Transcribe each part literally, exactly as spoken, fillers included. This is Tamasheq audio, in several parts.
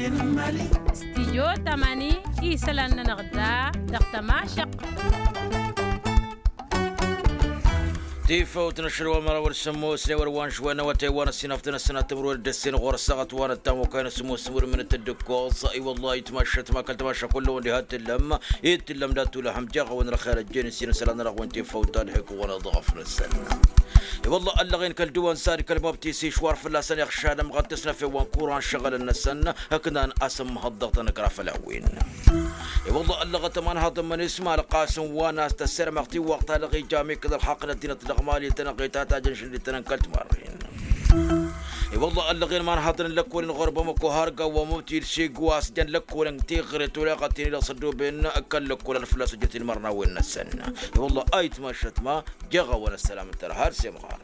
Studyo tămani isălan-nănăɣ da dăɣ-tămašăq. Tifăwt n-ašăl wa mărawăl sămmos n-ewăr wa n-šwen n-awătay wa n-ăssinăftăn ăssinăt timǝrwen d-ăssin ɣur-ăssaɣăt wa n-ăttam okăyăn sămmos timǝrwen d-tăddǝkkoẓ. I-wăllah itmašăt ma kăl-tămašăk kullăwăn diha t-tǝllăm. Itǝllăm dat-tulăhăm jeɣ-awăn răxel ăjjeen ǝssin isălan-nănăɣ wen tifăwt ta d-hek wănăḍ ɣăf-năsăn. I-wălla ăllăɣen kăl-dăwăn sar kăl-mabtis išwar fălla-săn iɣšadăm ɣăttăsnăf i-wa n-kuran šăɣălăn-năsăn. Ǝknan asǝmmăhăḍ dăɣ-tăn-ǝkra făll-a-wen. I-wălla ăllăɣăt ămanhăḍ n-imǝnisma ălqasăn wa n-a-s tăssirmăɣ tiwwăɣt ta dăɣ-ija mikǝd ălxaqq n-ăddinăt dăɣ-mali tănăɣ-i ta tajăn šăndităn n-kăl-timarren. I-wălla ăllăɣen imanhăḍăn n-lăkkolăn ɣur-bamăko har gawa mubtid šigwa a-s jăn lăkkolăn tiɣret oleɣăt-in-i dăɣ-săddoben kăl-lăkkol ad-fălla-s ăjjăt-in imărnawen-năsăn. I-wălla ayǝtmašăt ma jeɣ-awăn ăssălam n-tărha ad-semɣar.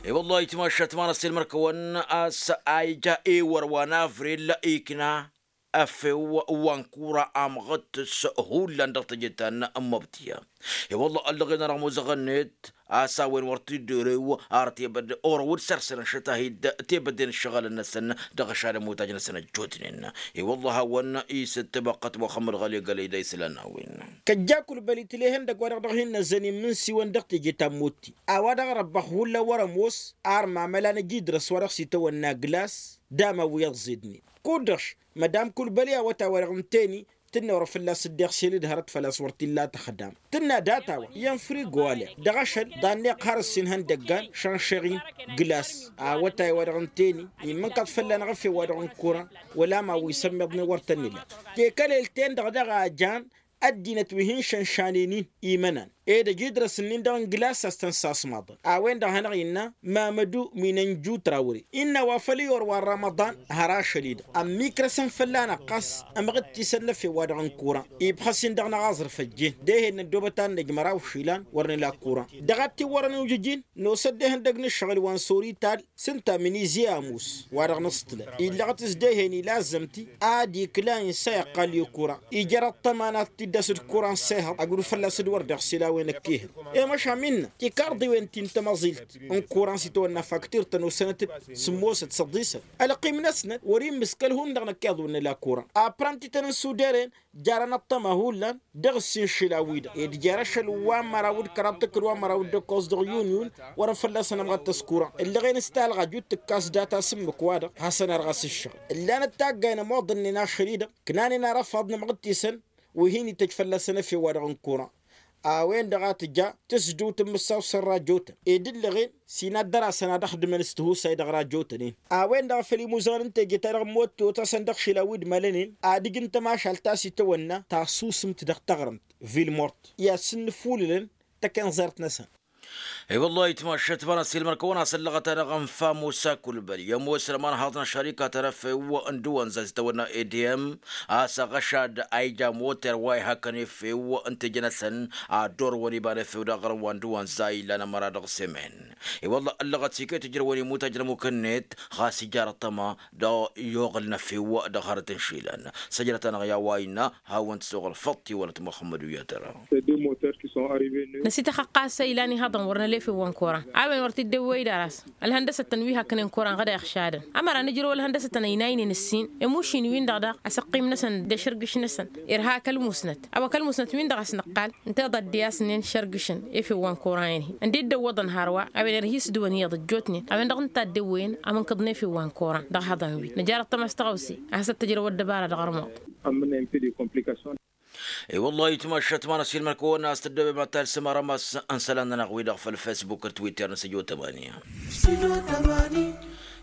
I-wălla ayǝtmašăt ma n-ăssilmăr-kăwăn a-s a ija ewăr wa n-avril ikna efew wa n-kura amɣăt s-hullan dăɣ-teje ta n-măbtǝya. I-wălla ăllăɣen-anăɣ muzăɣ-net a-s a-wen wăr t-dd-orew ar tebădde orăw d-săr-săn ăššăt-ahi-dd tebădde n-ǝššăɣǝlăn-năsăn dăɣ-ăšadăm otajăn-năsăn ăjjootnen. I-wălla a hawăn-isǝttǝbăqqăt muxămmăd ɣăli gălăy d-a isălan n-a-wen. Kăjja kulbăl itǝl'-e ihăndăgg wa dăɣ-dăɣ hin-năzzăn imǝnsiwăn dăɣ-teje ta n-motti a-wa dăɣ-răbbăx hullan wăr-ămoos ar mamăla n-ejidrăs wa dăɣ-s itawănna glas d-amawǝy ăẓẓidnen. Kud-dăɣ-š mădam kulbăli awătay wa dăɣ-ǝnta-eni tǝnna wăr-fălla-s dd-iɣsel d-hărăt făl-a-s wăr t-illa tăxdam. Tǝnna data-wa iyyăn frigo alăɣ dăɣ-ašăl ḍanneɣ har ǝssin ihăndăggan šănšăɣ-in glas. Awătay wa dăɣ-ǝnta-eni immǝnkăḍ fălla-năɣ efew wa dăɣ-n kuran wăla ma wi sămmiḍnen wăr tăn-nǝla. Tekălelt-en-dăɣ daɣ a jan ăddinăt wi hin-šănšanen-in imănan ed ăjidrăs-nin-dăɣ n-glas a-s tăn-sasmaḍăn. A-wen-dăɣ a hanăɣ-innă mamădu minănju trawre innă wa făl iyyăr wa n-rămăḍan har ašăl-i-dăɣ ămmikrăsăn fălla-năɣ ɣas ămɣǝttisăn n-efew-wa-dăɣ n-kuran. Ibxăs-in dăɣ-năɣ aẓrǝf ăjjeen dehe-dd năddobăt ad-năj măraw išilan wăr nǝla kuran. Dăɣ-ad-t-iwwărăn iwjǝj-in nosăt dehăn dăgg-nǝššăɣǝl wa n-sorital s-ǝnta minizi amus wa-dăɣ nǝsṭlăn illăɣăt s-dehen ila ăzzămti ad-ikla insa iqqal i-kuran. Ijăr ăṭṭăma n-ad-t-dd-asǝd kuran s-ehăḍ agǝdu fălla-s d-wăr dd-iɣsǝl a-wen ăkk'-ehăn. I-măšan innă tikarḍiwen ti n-tamăẓilt n-kuran s-itawănna faktirt tănusănăt-dd sǝmmosăt s-ăḍisăt ălqim-năsnăt wăr-immǝs kăl-hundăɣ năkk iḍǝwăn nǝla kuran. Aprăn tităn n-suderen jarăn ăṭṭăma hullan dăɣ-ǝssin išilan-wi-dăɣ ed jer-ašăl wa n-măraw d-kăraḍ tǝkkǝl wa n-măraw d-ǝkkoẓ dăɣ-yun-yun wărăn fălla-săn ămɣăttăs kuran. Ǝllăɣen s-talɣa jut tǝkkas data s-ǝmmǝk-wa-dăɣ hasăn-ar ɣas ǝššăɣ. Ǝllanăt taggayen ămoḍănnen ašăl-i-dăɣ ǝknanen arăfaḍ n-amɣǝttisăn wi hin-ităjj fălla-săn efew-wa-dăɣ n-kuran. A-wen-dăɣ a tǝja tǝsdǝwt n-imǝssaw s-ărrajotăn ed ǝllăɣen s-inaddăr-asăn ad-ăxdǝmăn s-tihusay dăɣ-rajotăn-in. A-wen-dăɣ a făl imuzăɣăn n-teje-ta-dăɣ n-motto-tasăn dăɣ-išilan wi d-imălănen ad-ǝjǝn tămašalt ta s-itawănna tasusǝmt dăɣ-taɣrǝmt vilmort i-ad-sǝnnǝfulǝlăn tăkenẓert-năsăn. I-wăllah itmašăt ma n-ăssiilmăr-kăwăn-as ăllăɣăt-anăɣ ănfa musa kulbăl i-ămoosăn ămanhaḍ n-ašărika ta n-efew n-dăwănza s-itawănna ediyăm a-s aɣăšad a ija moter wa ihăkkăn efew n-teje-năsăn ad-orăwăn iba n-efew d-aɣrǝm wa n-dăwănza illan ămăra dăɣ-semen. I-wăllah ăllăɣăt s-iket ijrăwăn imutaj n-ămukăn-net ɣas ija arăṭṭăma dăɣ-i-oɣǝl n-efew dăɣ-hărăt n-išilan. Săjdăt-anăɣ i-a-wa innă hawăn-t s-oɣǝl făṭṭ i-wălăt muxămmăd u-i-ad-tăra. Năsităxăqqas a ilan ihăḍăn wăr năla efew wa n-koran a-wen wăr t-dd-ewwey d-aras. Ălhăndăsătăn wi hakkănen koran ɣad a iɣšadăn ămăra nǝjrăw ălhăndăsătăn ăynaynen ǝssin. Emušin-win-dăɣ daɣ asăqqim-năsăn d-ašărgǝš-năsăn irha kăl-musnăt a-wa kăl-musnăt-win-dăɣ a-s nǝqqal ǝnta iḍa dd-i-asnen šărgǝšăn efew wa n-koran-i. Ǝnda dd-ăwwăḍăn hărwa a-wen irha isdǝwăn iyyăḍ ăjjootnen a-wen-dăɣ ǝnta a dd-ewwăyăn amǝnkăḍ n-efew wa n-koran dăɣ-ihăḍan-wi nǝjar ăṭṭăma s-tăɣawse a hasăt-tǝjrăw ăddăbara dăɣ-armăḍ. I-wăllah itmašăt ma n-ăsilmăn-kăwăn a-s tăddobem ad-talsăm arămas n-isălan-nănăɣ-wi-dăɣ făll-fesbuk d-twitter n-săjo tămani.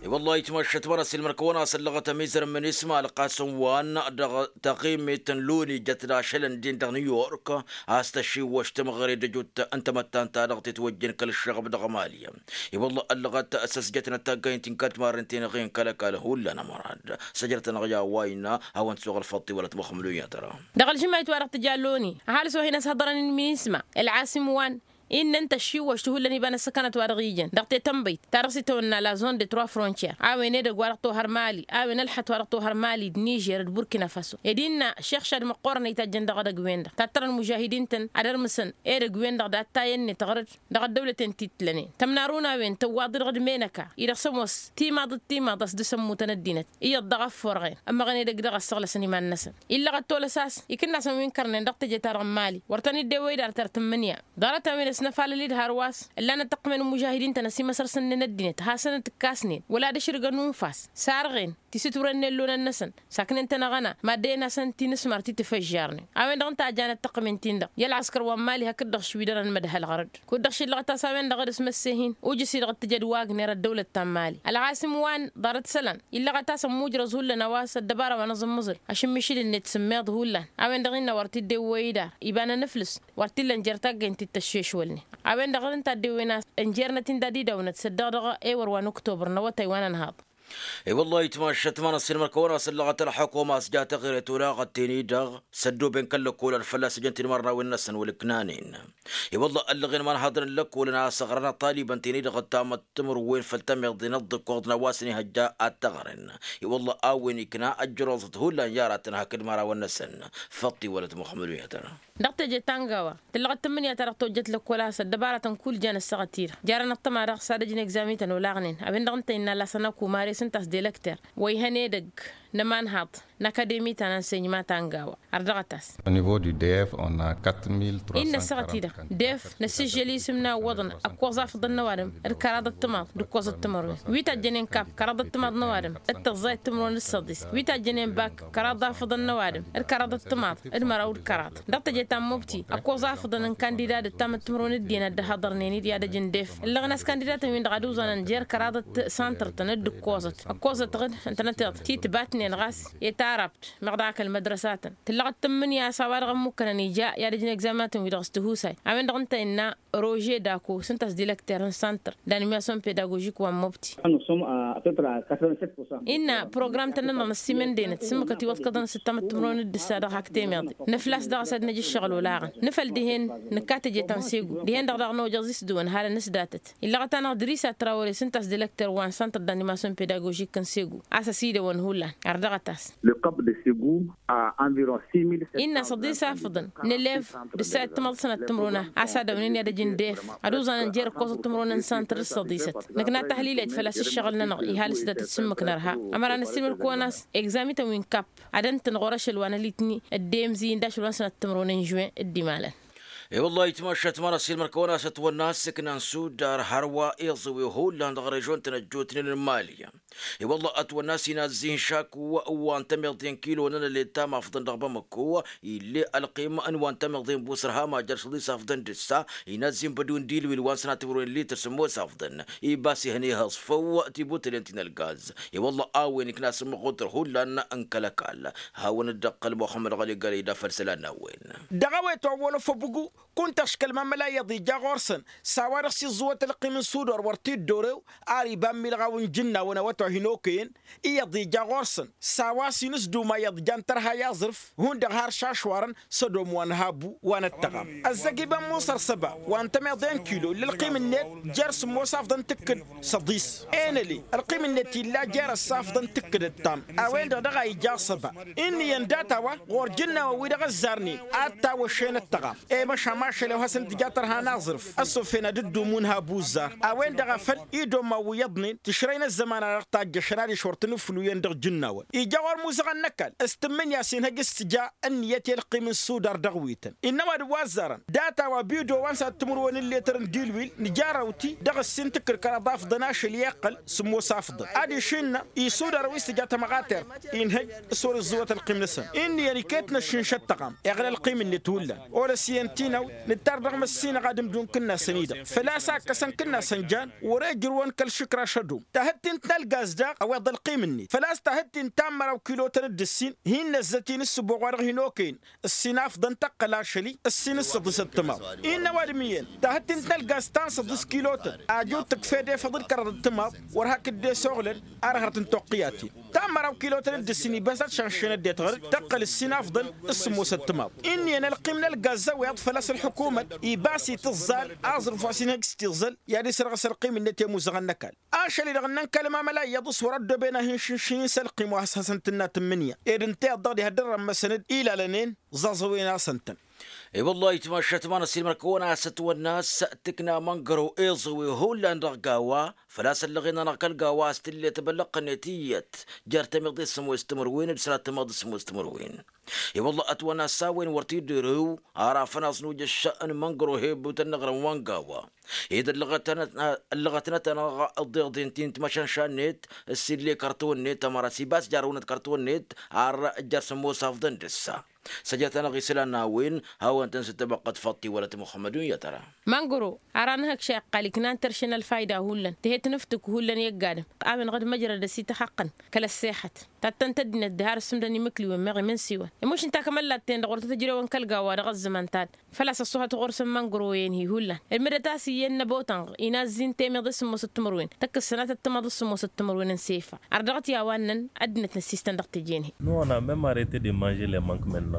I-wăllah itmašăt ma n-ăsilmăn-kăwăn a-s ăllăɣăt ămizăr n-minisma ălqasăn wa n-dăɣ-taɣimit n-luni jăt d-ašăl n-din dăɣ-new york a-s tăšiwăš tămɣăre d-ăjut n-tamăttant-ta-dăɣ titwăjjen kăl-ǝššăɣăb dăɣ-mali. I-wăllah ăllăɣăt s-ăsjătnăt taggaynt n-kăl-timarren ti-năɣen kăl-ăkall hullan ămărad. Săjdăt-anăɣ i-a-wa innă hawăn-t s-oɣ ălfăṭṭ i-wălăt muxămăl u-i-ad-tăra. Dăɣ-ălžǝmayt-wa-dăɣ tǝja loni ăhalǝs wa hin-ăshăḍărăn n-minisma ălɣasim wa n Innă ǝnta ăššiwwăš ti hullan iba n-ăssăkanăt wa dăɣ-ijăn dăɣ-tetănbăyt ta dăɣ-s itawănna la zone de trois frontières a-wen edăgg wa dăɣ-tohăr mali a-wen ălxăt wa dăɣ-tohăr mali d-nižer d-burkina faso ed innă šexšad măqqoorăn a itajjăn dăɣ-edăgg-wen-dăɣ tattărăn mužahidin-tăn ad-ărmǝsăn edăgg-wen-dăɣ d-ad-tayăn-net ɣărăd. Dăɣ-ăddăwlăten ti t-lănen tămnarun a-wen tăwwaḍ-dd dăɣ-dd-menăka-i-dăɣ s-ămoos timaḍ d-timaḍ a-s dăɣ-s ămmutăn ăddinăt iyyăḍ dăɣ-ăfforɣen ămmăɣăn edăgg-dăɣ a ǝssăɣlăsăn iman-năsăn. Illăɣăt tolăs a-s ikǝnnasăn wi n-kărnen dăɣ-teje-ta-dăɣ n-mali wăr tăn-dd-ewwăy d-ar tăr tǝmmǝnǝya ḍarăt-a-wen ăsnăfalăl-dd hărwa s-ǝllanăt tăqqǝmen n-imužahidin-tăn ăsimăsărsǝnnen ăddinăt hasăn-ǝtǝkkasnen wăla d-ašrǝgăn unfas sarɣen tisǝturăn n-ellonăn-năsăn. Saknen-tăn aɣăna maddăyăn-asăn tinǝsmar ti tǝfăžžarnen a-wen-dăɣ ǝnta a janăt tăqqǝmen-tin-dăɣ i-ălɣăskăr wa n-mali hakd-dăɣ šwidărăn mădhăl ɣărăd. Kud-dăɣ šillăɣăt a-s a-wen-dăɣ d-asmăsseh-in ujǝs-i-dăɣ ǝttǝjăd wagner ăddăwlăt ta n-mali ălɣasǝm wa n-ḍarăt isălan illăɣăt a-s ămmujrăẓ hullan a-wa s-ăddăbara wa n-aẓǝmmǝẓǝl ašǝmmišǝl-net s-ǝmmeḍ hullan. A-wen-dăɣ innă wăr t-dd-ewwăy idar iba n-anǝflǝs wăr t-illa ǝnjer taggăynt ti t-ăššešwălnen. A-wen-dăɣ ǝnta a dd-ewwen a-s ǝnjernăt-in dad-idăwnăt săddăɣ dăɣ-ewăr wa n-oktobăr n-awătay wa n-ănhaḍ. I-wălla-hi tmašat ma n-ăssiilmăr-kăwăn-as ǝllăɣăt ălḥukuma a-s ja taɣret olaɣăt-ten-i-dăɣ s-ăddooben kăl-lăkkolăn fălla-s ǝjăn tinmărnawen-năsăn wăla ǝknanen. I-wălla ăllăɣen imanhaḍăn n-lăkkolăn a-s ăɣrăn ăṭṭalibăn-ten-i-dăɣ ăttamăt timǝrwen făll-tammiḍen ăḍḍǝkkoḍ n-a-wa s-ănihăjja ad-t-ăɣrăn. I-wălla a-wen ikna ăjjăroẓăt hullan i-aratăn hakd imărawăn-năsăn. Făṭṭi wălăt muxămmăd uyatăn. Dăɣ-teje ta n-gawa tǝllăɣăt tǝmmǝnǝya ta dăɣ-tojjăt lăkkola s-ăddăbaratăn kull jan ăssaɣăt-i-dăɣ jarăn ăṭṭăma-dăɣ s-ad-ăj n-egzamităn olaɣnen a-wen-dăɣ ǝnta innă lasăn akuma resǝnta s-delăkter wa ihăn edăgg n-ămanhaḍ n-akademi ta n-ansenyăma ta n-gawa. Ărdăɣăt-as. Au niveau du d f on a quatre mille trois cent innă ăssaɣăt-i-dăɣ d f năssižžăl isǝm n-a ǝwwăḍăn ăkkoẓ afǝḍăn n-ăwadǝm d-kăraḍăt timaḍ d-ǝkkoẓăt timărwen wi tajjănen kap kăraḍăt timaḍ n-ăwadǝm d-tăẓẓayăt timǝrwen d-săḍis wi tajjănen bak kăraḍ afǝḍăn n-ăwadǝm d-kăraḍăt timaḍ d-măraw d-kăraḍ. Dăɣ-teje ta n-mubti ăkkoẓ afǝḍăn n-kandida d-ǝttamăt timǝrwen d-iyyăn ad-dd-hăḍărnen-dd i-ad-ăj n-def ǝllăɣăn a-s kandidatăn-win-dăɣ ad-uẓanăn jer-kăraḍăt santăr-tăn d-ǝkkoẓăt ăkkoẓăt ɣǝd ǝntănăteḍ ti tǝbatnen ɣas i-tarăbt meɣ daɣ kăl-mădrăsatăn. Tǝllăɣăt tǝmmǝnǝya a-s a-wa-dăɣ ămmukkănăn ija i-ad-ăj n-egzaminatăn-wi-dăɣ s-tihusay a-wen-dăɣ ǝnta innă rože dako s-ǝnta a-s dilăkter n-santăr d-animasyon pedagožik wa n-mubti. Innă program-tăn-nănăɣ năssiimăndenăt s-ǝmmǝkăt iwăḍkăḍăn s-ǝttamăt timǝrwen d-ǝssa dăɣ-hak temeḍe nǝflas daɣ a-s ad-năj ǝššăɣǝl olaɣăn nǝfăl dihen nǝkka teje ta n-segu dihen-dăɣ daɣ n-ojăẓ-i s-dăwăn halăn-s datăt. Illăɣăt-anăɣ dăr-i s-ad-trawăre s-ǝnta a-s dilăkter wa n-santăr d-animasyon pedagožik n-segu a-s ăsidăwăn hullan. Ardăɣăt-as. Innă săḍis afǝḍăn n-elev d-ǝssa d-timăḍ sănăt timruna a-s ad-ăwnen i-ad-ăj n-def ad-uẓanăn jer-ǝkkoẓăt timruna n-santăr d-săḍisăt. Năkna tahlilet făl-a-s ǝššăɣǝl-nănăɣ ihal s-datăt s-ǝmmǝk nărha. Ămăra năssiilmăr-kăwăn a-s egzamităn wi n-kap ad-ăntǝnɣur ašăl wa n-ălitni d-emzi n-dašăl wa n-sănăt timruna n-žuwen d-imalăn. E-wăllah itmašat ma n-ăssiilmăr-kăwăn a-s ătwănna a-s ǝknan sudar hărwa iẓǝwi hullan dăɣ-režon-tăn ăjjootnen n-mali. I-wălla ătwănna a-s inazzi n-išaku wa n-tămeḍe n-kilo n-anălet ta mafḍăn dăɣ-bamăko. Ill'-e ălqim n-wa n-tămeḍe n-busăr hama jer-săḍis afḍăn d-ǝssa. Inazzi n-bădu n-dilwil wa n-sănatămrăwen lităr sǝmmos afḍăn. Ibas ihăn ihăẓfăw tibutălen ti n-ălgaz. I-wălla a-wen ikna s-ămmăɣutăr hullan n-kăl-ăkall. Hawăn-dd-ăqqăl muxămmăd ɣăli gălăy d-afăl isălan n-a-wen. Dăɣ-a-wa itwăwwălăf ăbugu kunta ăškăl ma n-mălayăḍ ija ɣur-săn. S-a-wa-dăɣ s-iẓẓǝwăt ălqim n-sudor wăr t-dd-orew ar iba n-milɣaw n-ijǝnnawăn awătwa hin-okăyăn. Iyyăḍ ija ɣur-săn s-a-wa s-inǝsdum a iyyăḍ jan tărha i-aẓrǝf. Hundăɣ har šašwarăn s-ădom wa n-habu wa n-ăttăɣam ăzzăg iba n-musăr săba wa n-tămeḍe n-kilo ǝlla ălqim-net jer-sǝmmos afḍăn tǝkkǝd. Săḍis enăle ălqim-net illa jer-ăssafḍăn tǝkkǝd ăttam. A-wen-dăɣ dăɣ-a ija săba inn'-iyyăn data-wa ɣur-jǝnnawăn-wi-dăɣ ăzzarnen ad-tawăššen ăttăɣam. I-măšan mašăl-ew hasăn-tǝja tărha n-aẓrǝf ăssofhen ad-dd-umun habu ǝzzar. A-wen-dăɣ a făl idomman wi iyyăḍnen tǝšrăy n-ăzzăman-a-dăɣ tajjăšăn adiš wăr tăn-ǝflu iyyăn dăɣ-ijǝnnawăn. Ija ɣur-imuzăɣăn n-ăkall s-tǝmmǝnǝya a-s inhăj s-tǝja ǝnniyăt i-ălqim n-sudar dăɣ-wi-tăn innă ăwadǝm wa ăzzarăn data-wa bido wa n-sănat timǝrwen n-letăr n-dilwil nǝjarrăw-t-i dăɣ-ǝssin tǝkkǝd kăraḍ afḍăn ašăl i-iqqăl. Sǝmmos afḍăn adiš innă isudar wi s-tǝja tămɣatert inhăj s-wăr-iẓẓǝwăt ălqim-năsăn. Inn'-iyyăn iket n-ăššǝnš ăttăɣam iɣla ălqim-net hullan. Olăs iyyăn tinawt nǝttar dăɣ-măssinăɣ ad-ǝmdǝw n-kǝnnasăn-i-dăɣ făl-a-s a ǝkkăsăn kǝnnasăn jan wăr-e ǝjrǝwăn kăl-išǝkraš ădom. Tahǝtte n-tălgaz daɣ ăweḍ ălqim-net făl-a-s tahǝtte n-tammăraw kilotăn d-ǝssin hin-năzzăt-in s-sǝbboɣ wa dăɣ-hin-okăyăn ǝssin afḍăn tăqqăl ašăl-i ǝssin s-săḍis ăttămaḍ. Innă ăwadǝm iyyăn tahǝtte n-tălgaz ta n-săḍis kilotăn aju tǝkf'-ed efăḍ d-kăraḍ ăttămaḍ wăr hakd dd-esoɣlăn. Ar hărăt n-toqqǝyat-in. Ta n-măraw kilotăn d-ǝssin ibas ad-šănšăn ăddinăt ɣăr-dd tăqqăl ǝssin afḍăn s-sǝmmosăt timaḍ. Inn'-iyyăn ălqim n-ălgaz ăwiḍ făl-a-s ălḥukumăt ibas itǝẓẓal aẓrǝf wa s-inhăj s-tiẓẓal i-ad-isărɣǝs ălqim-net i-imuzăɣăn n-ăkall. Ašăl-i-dăɣ ǝnnăn kăl-mamăla iyyăḍ s-wăr-ăddooben ahǝnšǝnš-in s-ălqim wa s-hasăn-tǝnna tǝmmǝnǝya ed ǝnta iyyăḍ dăɣ-diha dd-ărrămmăsăn-dd ilalăn-en ẓaẓăwen-asăn-tăn. I-wăllah ayǝtmašat ma n-ăssiilmăr-kăwăn a-s ătwănna a-s tǝkna măngăro iẓăwe hullan dăɣ-gawa. Făl-a-s ăllăɣen-anăɣ kăl-gawa a-s tǝllet băllăqqănet iyyăt jer-tămiḍe s-sămoos timǝrwen d-sănat timaḍ s-sămoos timǝrwen. I-wăllah ătwănna a-s a-wen wăr t-dd-erǝw ara fănaẓ n-ujăšša n-măngăro hebutăn n-aɣrǝm wa n-gawa. Ed ăllăɣătnăt-anăɣ ăḍḍeḍen ti n-timăšănša-net s-ille kărtǝwăn-net ămăra s-ibas jarăwnăt kărtǝwăn-net ar jer-sămoos afḍăn dăr-sa. Săjăt-anăɣ isălan n-a-wen hawăn-tăn-sǝttăbăqqăt faḍti wălăt muxămmădun i-ad-tăra. Măngro ara n-hăkša iqqal iknan tăršăn ălfayda hullan tǝhet n-iftǝk hullan i-ăgg-adǝm. A-wen ɣǝd măjrăd ăsităxăqqăn kăl-ăssexăt tattăn-t ăddinăt diha ar ǝssǝmdăn imǝkliwen meɣ imǝnsiwăn. Imuš ǝnta a kămăllat-ten-dăɣ wăr tăt-ǝjrewăn kăl-gawa dăɣ-ăzzăman ta-dăɣ făl-a-s ăṣṣuhăt ɣur-săn măngro-en-hi hullan. Ǝlmǝdăt a-s iyyăn n-ăbotănɣ inazzi n-temiḍe s-sǝmmosăt timǝrwen tăkk-s sănatăt timaḍ s-sǝmmosăt timǝrwen n-sefa. Ărdăɣăt i-a-wa ǝnnăn ăddinăt n-ăssistăn dăɣ-teje-net. Nona mem arete de mange le mank menna.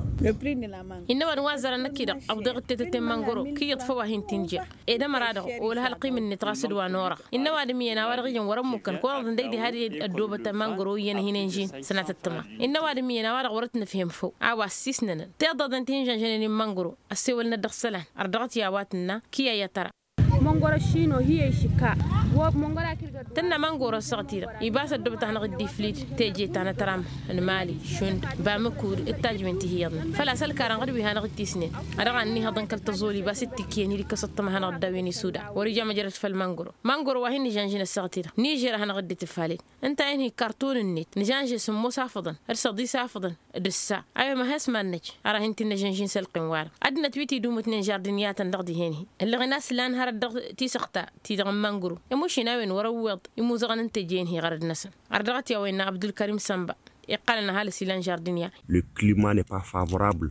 Innă ăwadǝm wa ăzzarăn năkk-i-dăɣ ăwḍeɣ ǝttetăt i-măngăro kǝyyăḍ făw a hin-t-inja. Ed ămăra-dăɣ olăh ălqim-net ɣas d-wa n-orăɣ. Innă ăwadǝm iyyăn a-wa dăɣ-ijăn wăr-ămmukăn kăwănăḍ ǝndăy diha d-ăddoobăt măngăro iyyăn hin-enžin sănatăt tǝma. Innă ăwadǝm iyyăn a-wa-dăɣ wăr-ătnăfhem făw a-wa ăssisnănăn tiḍăḍen ti hin-žănžănen i-măngăro. Ăssewălnăt dăɣ-isălan ărdăɣăt i-a-wa tǝnna. Kiyăy i-ad-tăra. Măngoro šino hi-e išǝkka. Tǝnna măngoro ăssaɣăt-i-dăɣ ibas ăddoobăt a hanăɣ-dd-iflid teje ta n-atăram n-mali šund bamǝkud d-tajwen ti hi-iyyăḍnen. Făl-a-s ălkarăn ɣǝd wi hanăɣ-dd-tisnen. A dăɣ-a n-ihăḍăn kăl-tăẓoli ibas d-tikyăn hi-dd-ikkăs ăṭṭăma hanăɣ-dd-a-wen isuda. Wăr-ija măjrăd făll-măngoro. Măngoro wa hin-nǝžănžin ăssaɣăt-i-dăɣ nižer a hanăɣ-dd-itǝfaled. Ǝnta-en-hi kartun-net nǝžănže sǝmmos afǝḍăn d-săḍis afǝḍăn. D-ǝssa a-wen ma has-mad-năj ara hin-t-in-năžănžin s-ălqim-wa-dăɣ. Ăddinăt wi t-idumǝtnen žardǝniyatăn dăɣ-dihen-hi. Ǝllăɣen a-s lan hărăt dăɣ-tisăɣta-ti-dăɣ n-măngro. Ămušin a-wen wăr-ăwweḍ imuzăɣăn n-teje-en-hi ɣărăd-năsăn. Ărdăɣăt i-a-wa innă abdulkărim sănba. Iqqălăn ăhalǝs ilan žardǝniya. Le climat n-est pas favorable.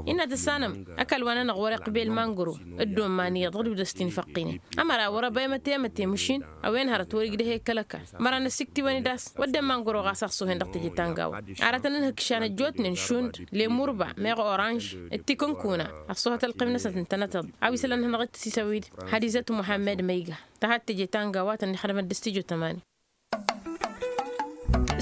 Innă tǝssanăm ăkall wa-nănăɣ wăr-iqbel măngro. D-domman iyyăḍ ɣǝd-wi dăɣ-s t-infăqqinen. Ămăra wăr-ăba emăte emăte măšin. A-wen hărăt wăr-igdăh i-kăl-ăkall. Măra-năsiktǝwăn-dd a-s wădden măngro ɣas ăṣṣuhen dăɣ-teje ta n-gawa. Aratăn ǝnhǝkšan ăjjootnen šund lemurba meɣ oranž d-tikǝnkuna. Ăṣṣuhăt ălqim-năsăn tǝntănăteḍ a-wa isălan hanăɣ-dd-tǝsisăwid. Hadizăt muḥămmăd măyga. Tăhat teje ta n-gawa tăn-ixdămăt d-studyo tămani.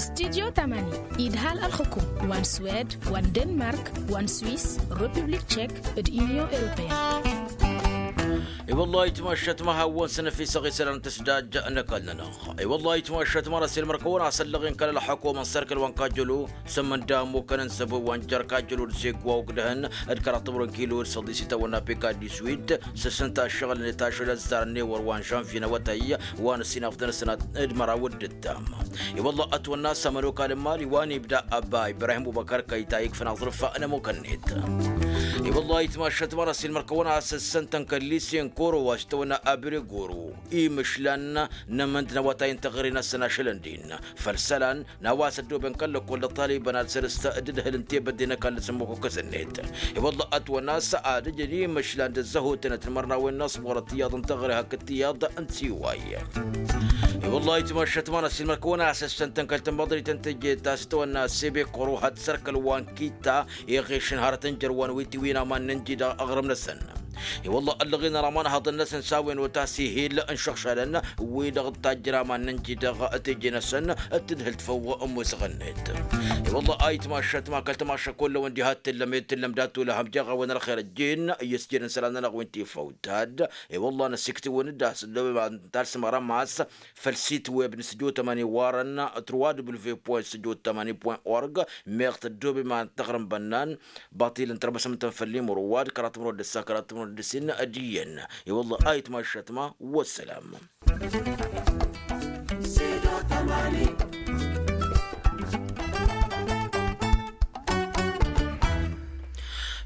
Studyo tămani idhal ălxǝkum wa n-swed wa n-denmark wa n-swis, republik tchek d-unyon europeyăn. I-wăllah ayǝtmašat ma hawăn-săn ăfisăɣ isălan tǝsdajja n-ăkall-nănăɣ. I-wăllah ayǝtmašat ma n-ăsilmăr kăwăn-asăllăɣ-in kăl-ălxăkum n-sărkăl wa n-kajjălo. Sămmănda ămmukăn n-săbo wa n-jer-kajjălo d-segwa ogdăhăn d-kăraḍ timǝrwen kilo d-săḍis itawănna peka d-iswid. S-ǝssǝnta ăššăɣǝl-net ašăl ăzzarăn ewăr wa n-žănvye n-awătay wa n-ǝssin afḍăn ăsnat d-măraw d-ǝttam. I-wălla ătwănna s-ămănokal n-imali wa n-ibda ăba ibrahim bubăkăr kăyta ikfăn aẓrǝf n-ămmukăn-net. I-wălla ayǝtmašat ma n-ăsilmăr kăwăn-asǝssăn tănkălli senkoro wa s-tăwănna abregoro imǝšlan n-amǝnd n-awătay n-teɣăre-năsăn ašăl ǝndin făll-isălan n-a-wa s-ăddooben kăl-lăkkol d-ăṭṭalibăn ad-săr-s d-ǝdhǝl n-tebădde n-ăkall s-ămmukukăs-net. I-wălla ătwănna a-s ad-ǝjǝn imǝšlan d-ăzzăhotăn d-timărnawen n-aṣwărăt iyyăḍ n-teɣăre hakd tiyyăḍ n-tiway. I-wălla ayǝtmašat ma n-ăsilmăr kăwăn-asǝssăn tănkăl tămăḍrit n-teje ta s-tăwănna sebekoro had-sărkăl wa n-kitta iɣešăn hărăt n-jărwan wi tiwǝyăn aman n-ǝnji dăɣ-aɣrǝm-năsăn. I-wălla ăllăɣen ăraman haḍăn-năsăn s-a-wen otasi hil n-išăɣšalăn wi-dăɣ tajjăr aman n-ǝnji dăɣ-teje-năsăn d-tǝdhǝlt făw ămmusăɣ-net. I-wălla ayǝtmašat ma kăl-tămašăk wăllăwăn diha t-tǝllăm ed tǝllăm dat-olăhăm jeɣ-awăn ălxer ăjjeen i-ǝsjed n-isălan-nănăɣ wi n-tifăw tad. I-wălla năsiktǝwăn-dd a-s ăddobem ad-nǝtalsǝm ărămas făll-sit web n-sǝjo tămani warăn trois w point sǝjo tămani point org. Meɣ tăddobem ad-nǝtăɣrǝm bănnan baṭil n-tărmăsăm n-tăn făll-imru wa d-kăraḍ timrăw d-ǝssa kăraḍ timrăw d-ǝssin. D-iyyăn i-wălla ayǝtmašat ma. Wăssălam.